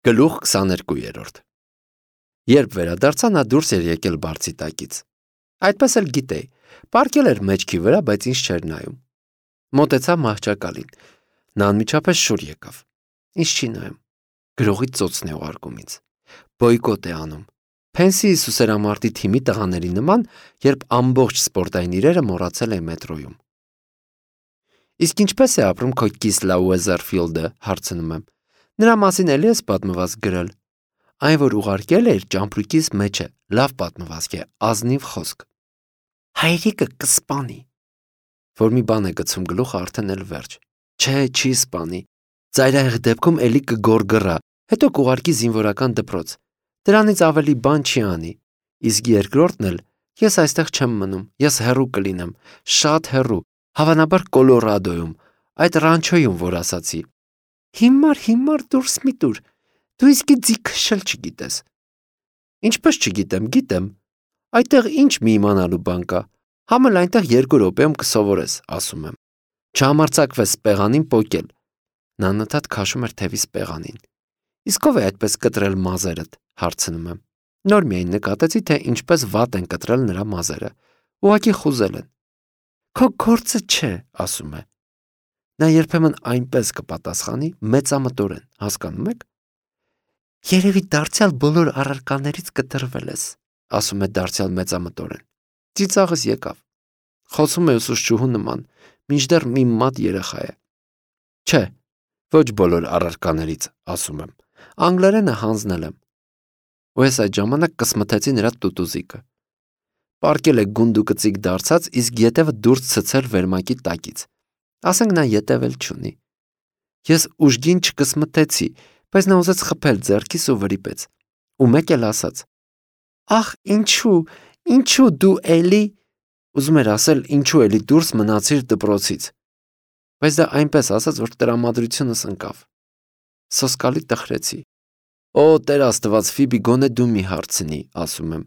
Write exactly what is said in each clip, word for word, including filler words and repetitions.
Գլուխ քսաներկու։ Երբ վերադարձա, նա դուրս էր եկել բարձի տակից։ Այդպես էլ գիտեի, պառկել էր մեջքի վրա, բայց ինձ չէր նայում։ Մոտեցա մահճակալին։ Նա անմիջապես շուռ եկավ։ Ինձ չի նայում։ Գրողի ծոցն է ուղարկում ինձ։ Բոյկոտ է անում։ Փենսի սուսերամարտի թիմի տղաների նման, երբ ամբողջ սպորտային իրերը մոռացել է մետրոյում։ Իսկ ինչպես է ապրում քո կիսլա Ուեզերֆիլդը, հարցնում եմ։ Նրա մասին էլի ես պատմված գրել։ Այն, որ ուղարկել էր, ճամպրուկիս մեջ է, լավ պատմվածք է, ազնիվ խոսք։ Հայրիկը կսպանի։ Որ մի բան է գցում գլուխը, արդեն էլ վերջ։ Չէ, չի սպանի։ Ծայրահեղ դեպքում էլի կգորգռա, հետո կուղարկի զինվորական դպրոց։ Դրանից ավելի բան չի անի։ Իսկ երկրորդն էլ, ես այստեղ չեմ մնում, ես հեռու կլինեմ, շատ հեռու, հավանաբար Կոլորադոյում, այդ ռանչոյում, որ ասացի։ Հիմար, հիմար դուրս մի տուր, դու իսկի ձի քշել չգիտես։ Ինչպես չգիտեմ, գիտեմ։ Այդտեղ ինչ մի իմանալու բան կա։ Համել այնտեղ երկու րոպեում կսովորես, ասում եմ։ Չհամարձակվես սպեղանին պոկել։ Նա նտատ քաշում էր թևիս սպեղանին։ Իսկ ով է այդպես կտրել մազերդ, հարցնում եմ։ Նոր միայն նկատեցի, թե ինչպես վատ են կտրել նրա մազերը։ Ուղղակի խուզել են։ Քո գործը չէ, ասում է։ Նա երբեմն այնպես կպատասխանի, մեծամտորեն, հասկանում եք։ Երևի դարձյալ բոլոր առարկաներից կտրվել ես, ասում է դարձյալ մեծամտորեն։ Ծիծաղս եկավ։ Խոսում է ուսուցչուհու նման, մինչդեռ մի մատ երեխա է։ Չէ, ոչ բոլոր առարկաներից, ասում եմ։ Անգլերենը հանձնել եմ։ Ու ես այդ ժամանակ կսմթեցի նրա տուտուզիկը։ Պարկել է գունդուկծիկ դարձած, իսկ ետևը դուրս ցցել վերմակի տակից։ Ասենք նա ետև էլ չունի։ Ես ուժգին չկսմթեցի, բայց նա ուզեց խփել ձեռքիս ու վրիպեց։ Ու մեկ էլ ասաց. Ախ, ինչու, ինչու դու էլի, ուզում էր ասել, ինչու էլի դուրս մնացիր դպրոցից։ Բայց դա այնպես ասաց, որ տրամադրությունս ընկավ։ Սոսկալի տխրեցի։ Օ, Տեր Աստված, Ֆիբի, գոնե դու մի հարցնի, ասում եմ։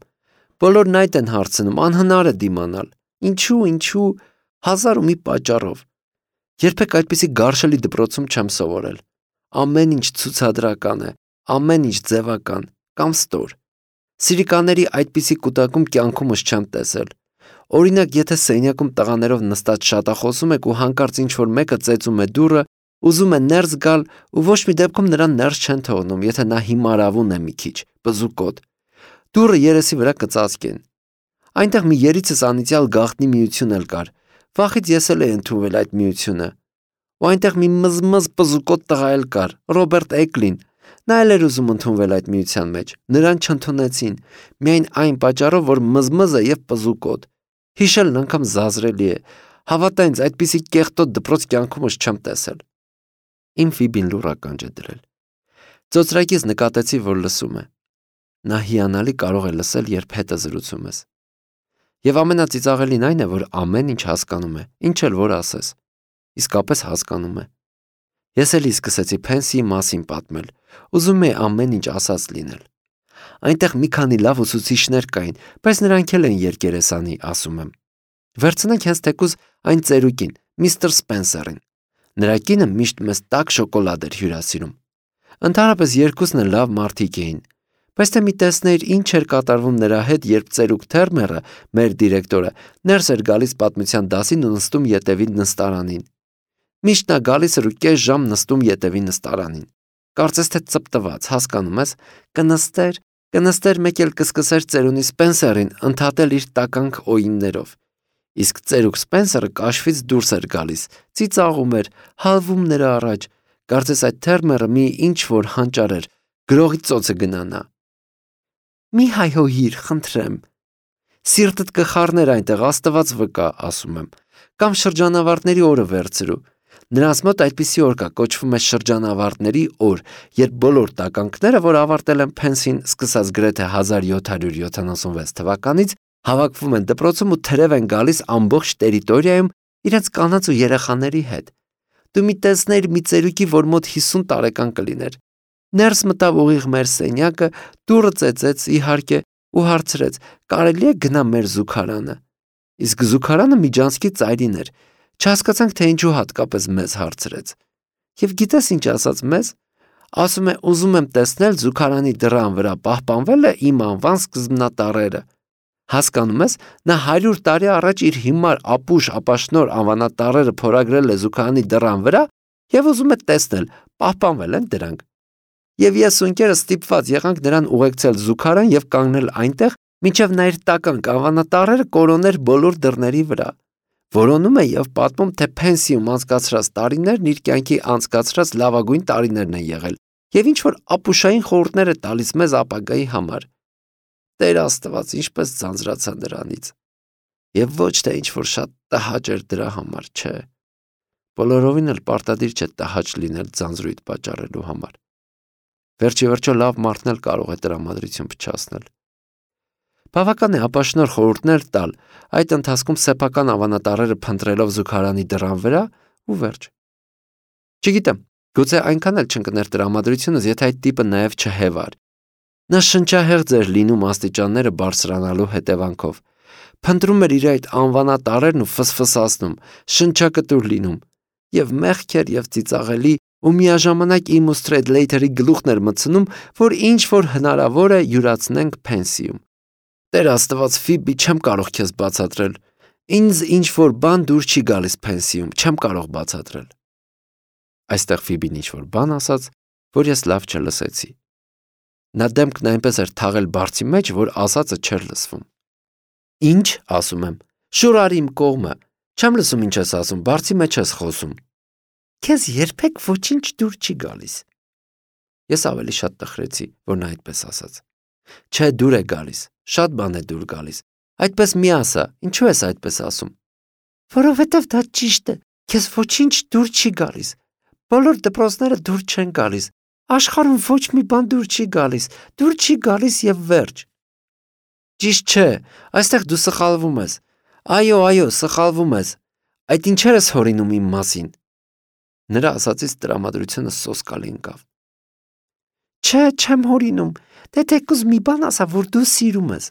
Բոլորն այդ են հարցնում, անհնար է դիմանալ։ Ինչու, ինչու, հազար ու մի պատճառով։ Երբեք այդպիսի գարշելի դպրոցում չեմ սովորել։ Ամեն ինչ ցուցադրական է, ամեն ինչ ձևական, կամ ստոր։ Սիրիկաների այդպիսի կուտակում կյանքումս չեմ տեսել։ Օրինակ, եթե սենյակում տղաներով նստած շատախոսում եք ու հանկարծ ինչ-որ մեկը ծեծում է դուռը, ուզում է ներս գալ ու ոչ մի դեպքում նրան ներս չեն թողնում, եթե նա հիմարավուն է մի քիչ, բզուկոտ։ Դուռը երեսի վրա կծածկեն։ Այնտեղ մի երիցս անիծյալ գաղտնի միություն էլ կար։ Վախից ես էլ էի ընդունվել այդ միությունը։ Ու այնտեղ մի մզմզ բզուկոտ տղա էլ կար, Ռոբերտ Էկլին։ Նա էլ էր ուզում ընդունվել այդ միության մեջ։ Նրան չընդունեցին, միայն այն պատճառով, որ մզմզ է եւ բզուկոտ։ Հիշելն անգամ զազրելի է։ Հավատա ինձ, այդպիսի կեղտոտ դպրոց կյանքումս չեմ տեսել։ Իմ Ֆիբին լուռ ականջ է դրել։ Ծոծրակից նկատեցի, որ լսում է։ Նա հիանալի կարող է լսել, երբ հետը զրուցում ես։ Եվ ամենածիծաղելին այն է, որ ամեն ինչ հասկանում է, ինչ էլ որ ասես։ Իսկապես հասկանում է։ Ես էլի սկսեցի Փենսիի մասին պատմել, ուզում էի ամեն ինչ ասած լինել։ Այնտեղ մի քանի լավ ուսուցիչներ կային, բայց նրանք էլ են երկերեսանի, ասում եմ։ Վերցնենք հենց թեկուզ այն ծերուկին, միստր Սպենսերին։ Նրա կինը միշտ մեզ տաք շոկոլադ էր հյուրասիրում։ Ընդհանրապես երկուսն էլ լավ մարդիկ էին։ Բայց թե մի տեսներ ինչ էր կատարվում նրա հետ, երբ ծերուկ Թերմերը, մեր դիրեկտորը, ներս էր գալիս պատմության դասին ու նստում ետևի նստարանին։ Միշտ նա գալիս էր ու կես ժամ նստում ետևի նստարանին։ Կարծես թե ծպտված, հասկանում ես, կնստեր, կնստեր մեկ էլ կսկսեր ծերունի Սպենսերին ընդհատել իր տականք օիններով։ Իսկ ծերուկ Սպենսերը կաշվից դուրս էր գալիս, ծիծաղում էր, հալվում նրա առաջ։ Կարծես այդ Թերմերը մի ինչ որ հանճար էր, գրողի ծոցը գնանա։ Մի հայհոյիր, խնդրեմ։ Սիրտդ կխառներ այնտեղ, Աստված վկա, ասում եմ, կամ շրջանավարտների օրը վերցրու։ Նրանց մոտ այդպիսի օր կա, կոչվում է շրջանավարտների օր, երբ բոլոր տականքները, որ ավարտել են Փենսին, սկսած գրեթե հազար յոթ հարյուր յոթանասունվեց թվականից, հավաքվում են դպրոցում ու թրև են գալիս ամբողջ տերիտորիայում իրենց կանանց ու երեխաների հետ։ Դու մի տեսներ մի ծերուկի, որ մոտ հիսուն տարեկան կլիներ։ Ներս մտավ ուղիղ մեր սենյակը, դուռը ծեծեց, իհարկե, ու հարցրեց. կարելի է գնա մեր զուգարանը։ Իսկ զուգարանը Միջանցքի ծայրին էր։ Չհասկացանք, թե ինչու հատկապես մեզ հարցրեց։ Եվ գիտես ինչ ասաց մեզ։ Ասում է, ուզում եմ տեսնել զուգարանի դռան վրա պահպանվել է իմ անվան սկզբնատառերը։ Հասկանում ես, նա հարյուր տարի առաջ իր հիմար ապուշ ապաշնոր անվանատառերը փորագրել է զուգարանի դռան վրա եւ ուզում է տեսնել, պահպանվել են դրանք։ Եվ ես ու ընկերս ստիպված եղանք նրան ուղեկցել զուգարան եւ կանգնել այնտեղ, մինչեւ նա իր տական անվանատառերը կորոներ բոլոր դռների վրա։ Որոնում է եւ պատմում, թե փենսիում անցկացրած տարիներն իր կյանքի անցկացրած լավագույն տարիներն են եղել եւ ինչ որ ապուշային խորհուրդներ է տալիս մեզ ապագայի համար։ Տեր Աստված, ինչպես ձանձրացա նրանից։ Եվ ոչ թե ինչ որ շատ տհաճ էր դրա համար, չէ։ Բոլորովին էլ պարտադիր չէ տհաճ լինել ձանձրույթ պատճառելու համար։ Վերջի վերջո լավ մարդն էլ կարող է տրամադրություն փչացնել։ Բավական է ապաշնոր խորհուրդներ տալ, այդ ընթացքում սեփական ավանատարերը փնտրելով զուգարանի դռան վրա ու վերջ։ Չգիտեմ, գուցե այնքան էլ չընկներ տրամադրությունս, եթե այդ տիպը նաև չհևար։ Նա շնչահեղձ էր լինում աստիճանները բարձրանալու հետևանքով։ Փնտրում էր իր այդ անվանատարերն ու ֆսֆսացնում, շնչակտուր լինում, եւ մեղք էր եւ ծիծաղելի, ու միաժամանակ իմ ու Սթրեյդլեյթերի գլուխն էր մտցնում, որ ինչ որ հնարավոր է յուրացնենք փենսիում։ Տեր Աստված, Ֆիբի, չեմ կարող քեզ բացատրել։ Ինձ ինչ որ բան դուր չի գալիս փենսիում, չեմ կարող բացատրել։ Այստեղ Ֆիբին ինչ որ բան ասաց, որ ես լավ չլսեցի։ Նա դեմքն այնպես էր թաղել բարձի մեջ, որ ասածը չէր լսվում։ Ինչ, ասում եմ, շուր արի իմ կողմը, չեմ լսում ինչ ես ասում, բարձի մեջ ես խոսում։ Քեզ երբեք ոչինչ դուր չի գալիս։ Ես ավելի շատ տխրեցի, որ նա այդպես ասաց։ Չէ, դուր է գալիս, շատ բան է դուր գալիս։ Այդպես մի ասա, ինչու ես այդպես ասում։ Որովհետև դա ճիշտ է, քեզ ոչինչ դուր չի գալիս։ Բոլոր դպրոցները դուր չեն գալիս։ Աշխարհում ոչ մի բան դուր չի գալիս, դուր չի գալիս եւ վերջ։ Ճիշտ չէ, այստեղ դու սխալվում ես։ Այո, այո, սխալվում ես։ Այդ ինչեր ես հորինում իմ մասին։ Նրա ասածից տրամադրությունը սոսկալի ընկավ։ Չէ, չեմ հորինում, դե թեկուզ մի բան ասա, որ դու սիրում ես։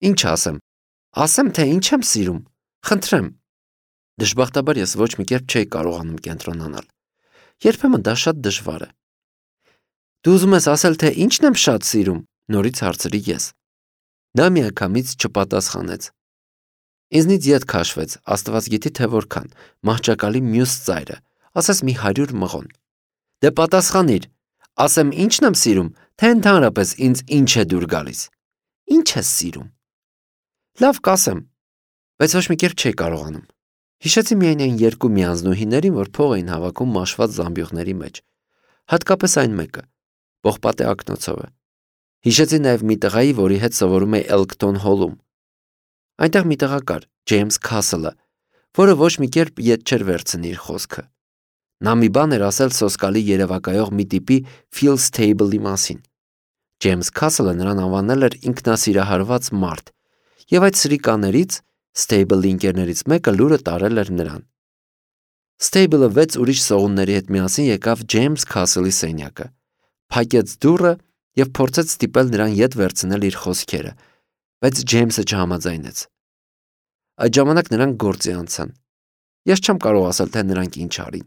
Ինչ ասեմ։ Ասեմ, թե ինչ եմ սիրում։ Խնդրեմ։ Դժբախտաբար ես ոչ մի կերպ չէի կարողանում կենտրոնանալ։ Երբեմն դա շատ դժվար է։ Դու ուզում ես ասել, թե ինչն եմ շատ սիրում, նորից հարցրի ես։ Նա միանգամից չպատասխանեց։ Ինձնից ետ քաշվեց, Աստված գիտի թե որքան, մահճակալի մյուս ծայրը, ասես մի հարյուր մղոն։ Դե պատասխանիր, ասեմ ինչն եմ սիրում, թե ընդհանրապես ինձ ինչ է դուր գալիս։ Ինչ ես սիրում։ Լավ կասեմ, բայց ոչ մի կերպ չէի կարողանում։ Հիշեցի միայն այն երկու միանձնուհիներին, որ փող էին հավաքում մաշված զամբյուղների մեջ, հատկապես այն մեկը, պողպատե ակնոցովը։ Հիշեցի նաև մի տղայի, որի հետ սովորում էի Էլքթոն հոլում։ Այնտեղ մի տղա կար, Ջեյմս Քասլը, որը ոչ մի կերպ ետ չէր վերցնի իր խոսքը։ Նա մի բան էր ասել սոսկալի երևակայող մի տիպի Ֆիլ Սթեյբլի մասին։ Ջեյմս Քասլը նրան անվանել էր ինքնասիրահարված մարդ, եւ այդ սրիկաներից Ստեյբլի ընկերներից մեկը լուրը տարել էր նրան։ Ստեյբլը վեց ուրիշ սողունների հետ միասին եկավ Ջեյմս Քասլի սենյակը, փակեց դուռը եւ փորձեց ստիպել նրան ետ վերցնել իր խոսքերը, բայց Ջեյմսը չհամաձայնեց։ Այդ ժամանակ նրանք գործի անցան։ Ես չեմ կարող ասել, թե նրանք ինչ արին։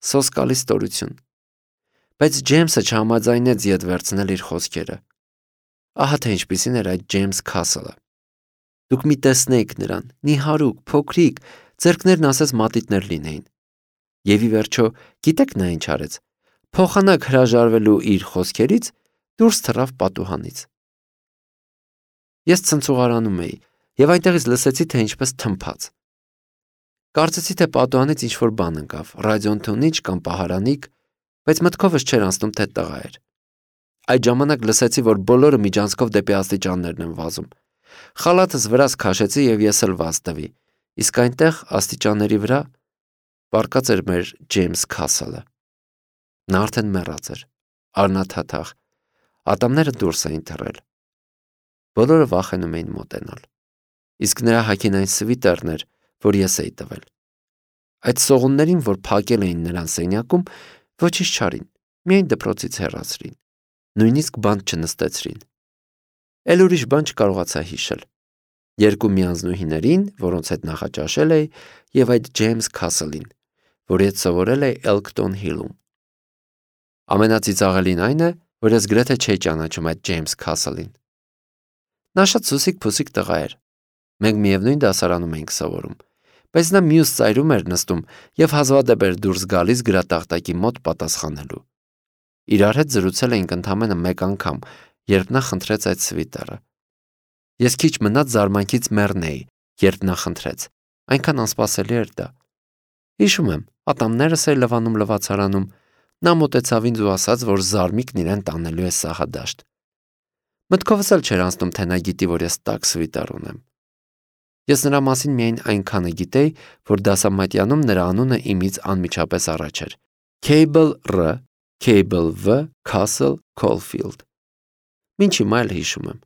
Սոսկալի ստորություն։ Բայց Ջեյմսը չհամաձայնեց ետ վերցնել իր խոսքերը։ Ահա թե ինչպիսին էր այդ Ջեյմս Քասլը։ Դուք մի տեսնեիք նրան, նիհարուկ, փոքրիկ, ձեռքներն ասես մատիտներ լինեին։ Եվ ի վերջո, գիտեք նա ինչ արեց։ Փոխանակ հրաժարվելու իր խոսքերից դուրս թռավ պատուհանից։ Ես ցնցուղարանում էի եւ այնտեղից լսեցի, թե ինչպես թմփաց։ Կարծեցի, թե պատուհանից ինչ-որ բան ընկավ, ռադիոընթունիչ կամ պահարանիկ, բայց մտքովս չէր անցնում, թե տղա էր։ Այդ ժամանակ լսեցի, որ բոլորը միջանցքով դեպի աստիճաններն են վազում։ Խալաթս վրաս քաշեցի եւ ես էլ վազ տվի, իսկ այնտեղ աստիճանների վրա պառկած էր մեր Ջեյմս Քասլը։ Նա արդեն մեռած էր, արնաթաթախ, ատամները դուրս էին թռել։ Բոլորը վախենում էին մոտենալ, իսկ նրա հագին այն սվիտերն էր, որ ես էի տվել։ Այդ սողուններին, որ փակել էին նրան սենյակում, ոչինչ չարին, միայն դպրոցից հեռացրին, նույնիսկ բանտ չնստեցրին։ Էլ ուրիշ բան չկարողացա հիշել։ Երկու միանձնուհիներին, որոնց հետ նախաճաշել էի, եւ այդ Ջեյմս Քասլին, որի հետ սովորել էի Էլքթոն Հիլում։ Ամենածիծաղելին այն է, որ ես գրեթե չէի ճանաչում այդ Ջեյմս Քասլին։ Նա շատ սուսիկ-փուսիկ տղա էր։ Մենք միևնույն դասարանում էինք սովորում, բայց նա մյուս ծայրում էր նստում եւ հազվադեպ էր դուրս գալիս գրատախտակի մոտ պատասխանելու։ Իրար հետ զրուցել էինք ընդամենը մեկ անգամ, երբ նա խնդրեց այդ սվիտերը։ Ես քիչ մնաց զարմանքից մեռնեի, երբ նա խնդրեց։ Այնքան անսպասելի էր դա։ Հիշում եմ, ատամներս էի լվանում լվացարանում, նա մոտեցավ ինձ ու ասաց, որ զարմիկն իրեն տանելու է սահադաշտ։ Մտքովս էլ չէր անցնում, թե նա գիտի, որ ես տաք սվիտեր ունեմ։ Ես նրա մասին միայն այնքանը գիտեի, որ դասամատյանում նրա անունը իմից անմիջապես առաջ էր. Cable R, Cable V, Castle, Caulfield։ Մինչ հիմա էլ հիշում եմ։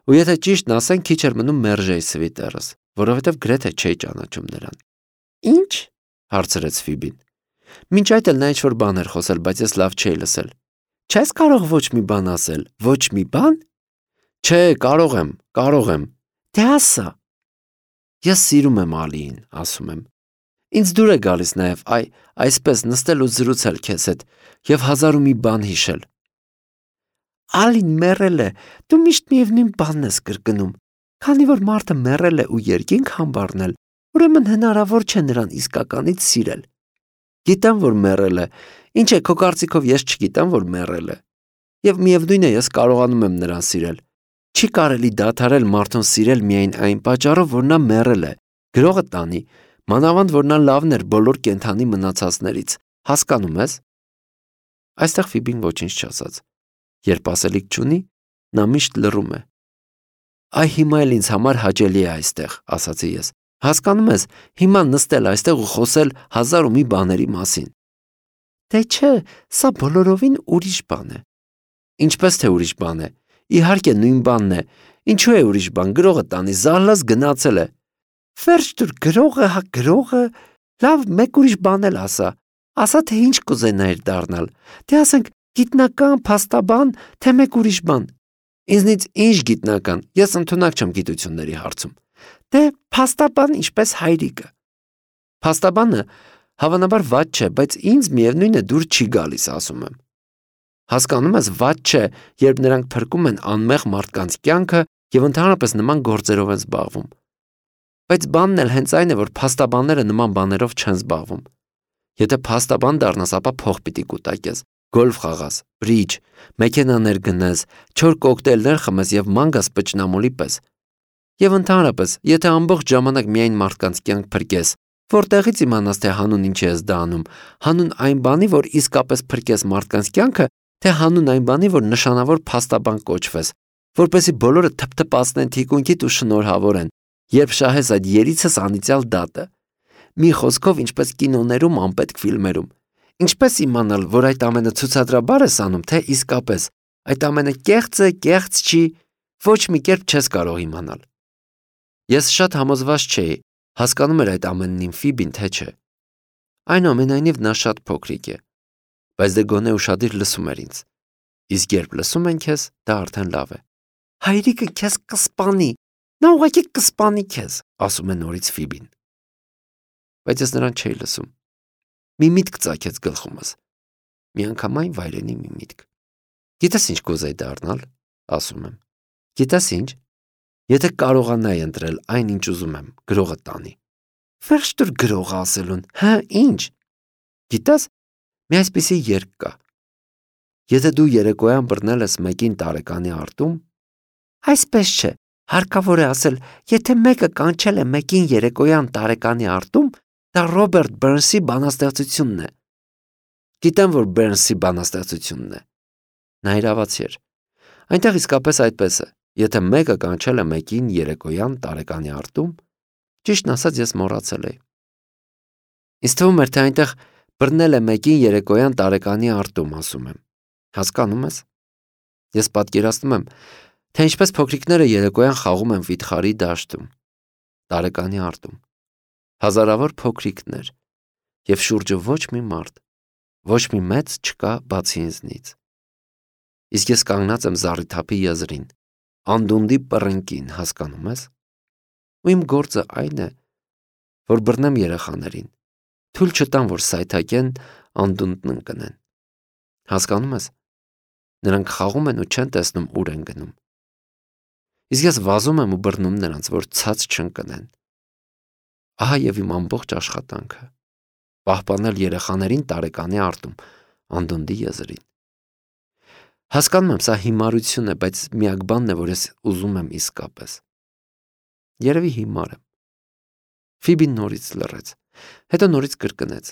Ու եթե ճիշտն ասեմ, քիչ էր մնում մերժեի սվիտերս, որովհետև գրեթե չէի ճանաչում նրան։ Ինչ? Հարցրեց Ֆիբին։ Մինչ այդ էլ նա ինչ-որ բան էր խոսել, բայց ես լավ չէի լսել։ Չես կարող ոչ մի բան ասել, ոչ մի բան։ Չէ, կարող եմ, կարող եմ։ Դե ասա։ Ես սիրում եմ Ալիին, ասում եմ։ Ինձ դուր է գալիս նաև այ այսպես նստել ու զրուցել քեզ հետ եւ հազար ու մի բան հիշել։ Ալին մեռել է, դու միշտ միևնույն բանն ես կրկնում։ Քանի որ մարդը մեռել է ու երկինք համբառնել, ուրեմն հնարավոր չէ նրան իսկականից սիրել։ Գիտեմ, որ մեռել է, ինչ է քո կարծիքով ես չգիտեմ, որ մեռել է։ Եվ միևնույն է, ես կարողանում եմ նրան սիրել։ Չի կարելի դադարել մարդուն սիրել միայն այն պատճառով, որ նա մեռել է։ Գրողը տանի, մանավանդ որ նա լավն էր բոլոր կենդանի մնացածներից։ Հասկանում ես։ Այստեղ Ֆիբին ոչինչ չասաց։ Երբ ասելիք չունի, նա միշտ լռում է։ Այ հիմա էլ ինձ համար հաճելի է այստեղ, ասացի ես։ Հասկանում ես, հիմա նստել այստեղ ու խոսել հազար ու մի բաների մասին։ Դե չէ, սա բոլորովին ուրիշ բան է։ Ինչպես թե ուրիշ բան է։ Իհարկե նույն բանն է։ Ինչու է ուրիշ բան, գրողը տանի, զահլաս գնացել է։ Վերջ դուր գրողը, հա գրողը, լավ, մեկ ուրիշ բան էլ ասա։ Ասա թե ինչ կուզենայիր դառնալ։ Դե ասենք գիտնական, փաստաբան, թե մեկ ուրիշ բան։ Ինձնից ինչ գիտնական, ես ընդունակ չեմ գիտությունների հարցում։ Դե փաստաբան ինչպես հայրիկը։ Փաստաբանը հավանաբար վատ չէ, բայց ինձ միևնույն է դուր չի գալիս, ասում եմ։ Հասկանում ես, վատ չէ, երբ նրանք փրկում են անմեղ մարդկանց կյանքը եւ ընդհանրապես նման գործերով են զբաղվում։ Բայց բանն էլ հենց այն է, որ փաստաբանները նման բաներով չեն զբաղվում։ Եթե փաստաբան դառնաս, ապա փող պիտի կուտակես, գոլֆ խաղաս, բրիջ, մեքենաներ գնես, չոր կոկտեյլներ խմես եւ ման գաս պճնամոլի պես։ Եվ ընդհանրապես, եթե ամբողջ ժամանակ միայն մարդկանց կյանք փրկես, որտեղից իմանաս, թե հանուն ինչ ես դա անում, հանուն այն բանի, որ իսկապես փրկես մարդկանց կյանքը, թե հանուն այն բանի, որ նշանավոր փաստաբան կոչվես, որպեսզի բոլորը թփթփացնեն թիկունքիդ ու շնորհավորեն, երբ շահես այդ երիցս անիծյալ դատը։ Մի խոսքով, ինչպես կինոներում, անպետք ֆիլմերում։ Ինչպես իմանալ, որ այդ ամենը ցուցադրաբար ես անում, թե իսկապես այդ ամենը կեղծ է, կեղծ չի, ոչ մի կերպ չես կարող իմանալ։ Ես շատ համոզված չէի, հասկանում էր այդ ամենն իմ Ֆիբին, թե չէ։ Այնուամենայնիվ նա շատ փոքրիկ է, բայց դե գոնե ուշադիր լսում էր ինձ։ Իսկ երբ լսում են քեզ, դա արդեն լավ է։ Հայրիկը քեզ կսպանի, նա ուղղակի կսպանի քեզ, ասում է նորից Ֆիբին։ Բայց ես նրան չէի լսում։ Մի միտք ծագեց գլխումս։ Միանգամայն վայրենի մի միտք։ Գիտես ինչ կուզեի դառնալ, ասում եմ։ Գիտես ինչ։ Եթե կարողանայի ընտրել այն, ինչ ուզում եմ, գրողը տանի։ Վերջ դուր գրողը ասելուն, հա, ինչ։ Գիտես, մի այսպիսի երգ կա։ Եթե դու երեկոյան բռնել ես մեկին տարեկանի արտում, այսպես չէ, հարկավոր է ասել, եթե մեկը կանչել է մեկին երեկոյան տարեկանի արտում, դա Ռոբերտ Բերնսի բանաստեղծությունն է։ Գիտեմ, որ Բերնսի բանաստեղծությունն է։ Նա իրավացի էր։ Այնտեղ իսկապես այդպես է։ Եթե մեկը կանչել է մեկին երեկոյան տարեկանի արտում, ճիշտն ասած ես մոռացել էի։ Ինձ թվում էր, թե այնտեղ բռնել է մեկին երեկոյան տարեկանի արտում, ասում եմ։ Հասկանում ես։ Ես պատկերացնում եմ, թե ինչպես փոքրիկները երեկոյան խաղում են վիթխարի դաշտում, տարեկանի արտում։ Հազարավոր փոքրիկներ եւ շուրջը ոչ մի մարդ, ոչ մի մեծ չկա բացի ինձնից։ Իսկ ես կանգնած եմ զառիթափի եզրին, անդունդի պռնկին, հասկանում ես։ Ու իմ գործը այն է, որ բռնեմ երեխաներին, թույլ չտամ, որ սայթաքեն անդունդն ընկնեն։ Հասկանում ես, նրանք խաղում են ու չեն տեսնում ուր են գնում։ Իսկ ես վազում եմ ու բռնում նրանց, որ ցած չընկնեն։ Ահա եւ իմ ամբողջ աշխատանքը՝ պահպանել երեխաներին տարեկանի արտում անդունդի եզրին։ Հասկանում եմ, սա հիմարություն է, բայց միակ բանն է, որ ես ուզում եմ իսկապես։ Երևի հիմար եմ։ Ֆիբին նորից լռեց, հետո նորից կրկնեց.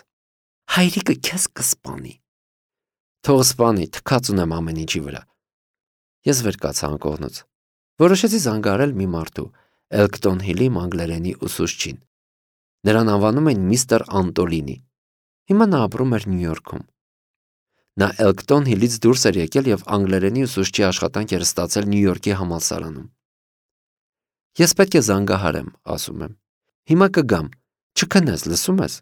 Հայրիկը քեզ կսպանի։ Թող սպանի, թքած ունեմ ամեն ինչի վրա։ Ես վեր կացա անկողնուց։ Որոշեցի զանգահարել մի մարդու, Էլկտոն Հիլի անգլերենի ուսուցչին։ Նրան անվանում են միստր Անտոլինի։ Հիմա նա ապրում էր Նյու Յորքում։ Նա Էլկտոն Հիլից դուրս էր եկել եւ անգլերենի ուսուցչի աշխատանք էր ստացել Նյու Յորքի համալսարանում։ Ես պետք է զանգահարեմ, ասում եմ։ Հիմա կգամ, չքնես, լսում ես։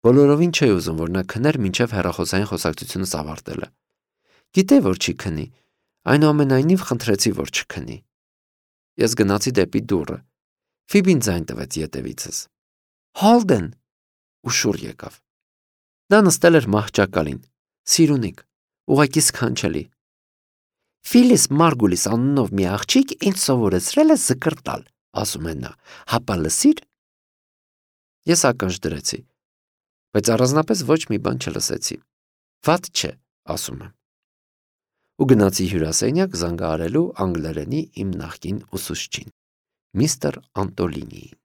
Բոլորովին չէի ուզում, որ նա քներ մինչև հեռախոսային խոսակցությունս ավարտելը։ Գիտեի, որ չի քնի, այնուամենայնիվ խնդրեցի, որ չքնի։ Ես գնացի դեպի դուռը։ Ֆիբին ձայն տվեց ետևիցս։ Հոլդեն, ու շուռ եկավ։ Նա նստել էր մահճակալին, սիրունիկ, ուղղակի սքանչելի։ Ֆիլիս Մարգուլիս անունով մի աղջիկ ինձ սովորեցրել է զկրտալ, ասում է նա, հապա լսիր։ Ես ականջ դրեցի, բայց առանձնապես ոչ մի բան չլսեցի։ Վատ չէ, ասում եմ։ Ու գնացի հյուրասենյակ զանգահարելու անգլերենի իմ նախկին ուսուցչին, միստր Անտոլինիին։